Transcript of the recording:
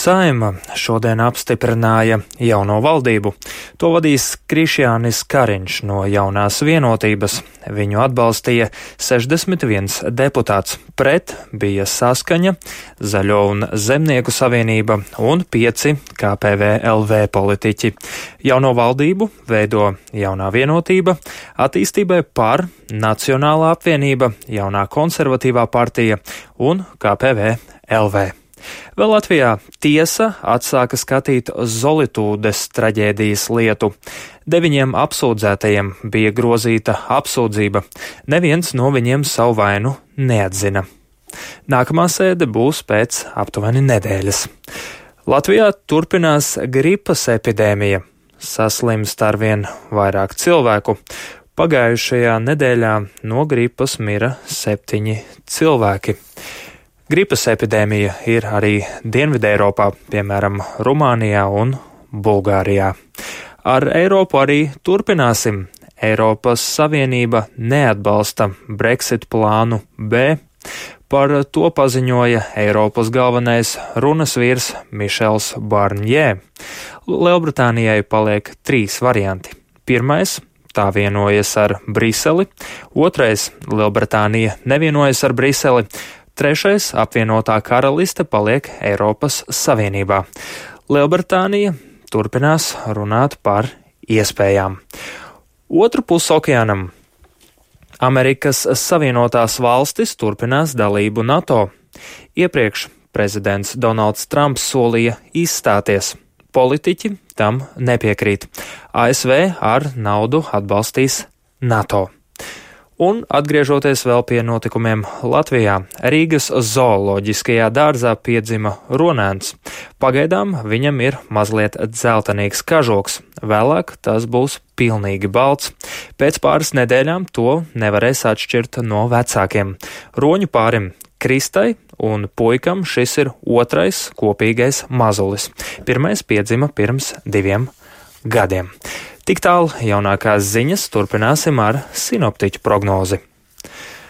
Saeima šodien apstiprināja jauno valdību. To vadīs Krišjānis Kariņš no Jaunās vienotības. Viņu atbalstīja 61 deputāts. Pret bija Saskaņa, Zaļo un Zemnieku savienība un 5 KPVLV politiķi. Jauno valdību veido Jaunā vienotība, Attīstībai par, Nacionālā apvienība, Jaunā konservatīvā partija un KPVLV. Vēl Latvijā tiesa atsāka skatīt Zolitūdes traģēdijas lietu. 9 apsūdzētajiem bija grozīta apsūdzība. Neviens no viņiem savu vainu neatzina. Nākamā sēde būs pēc aptuveni nedēļas. Latvijā turpinās gripas epidēmija. Saslimst arvien vairāk cilvēku. Pagājušajā nedēļā no gripas mira 7 cilvēki. Gripas epidēmija ir arī Dienvidē Eiropā, piemēram, Rumānijā un Bulgārijā. Ar Eiropu arī turpināsim. Eiropas Savienība neatbalsta Brexit plānu B. Par to paziņoja Eiropas galvenais runas vīrs Mišels Barņē. Lielbritānijai paliek 3 varianti. Pirmais - tā vienojas ar Briseli. Otrais - Lielbritānija nevienojas ar Briseli. Trešais - apvienotā karaliste paliek Eiropas Savienībā. Lielbritānija turpinās runāt par iespējām. Otru pusi okeānam Amerikas Savienotās valstis turpinās dalību NATO. Iepriekš prezidents Donalds Trumps solīja izstāties. Politiķi tam nepiekrīt. ASV ar naudu atbalstīs NATO. Un, atgriežoties vēl pie notikumiem Latvijā, Rīgas zooloģiskajā dārzā piedzima runēns. Pagaidām viņam ir mazliet dzeltenīgs kažoks, vēlāk tas būs pilnīgi balts. Pēc pāris nedēļām to nevarēs atšķirt no vecākiem. Roņu pārim Kristai un puikam šis ir otrais kopīgais mazulis. Pirmais piedzima pirms 2 gadiem. Tik tālu jaunākās ziņas, turpināsim ar sinoptiķu prognozi.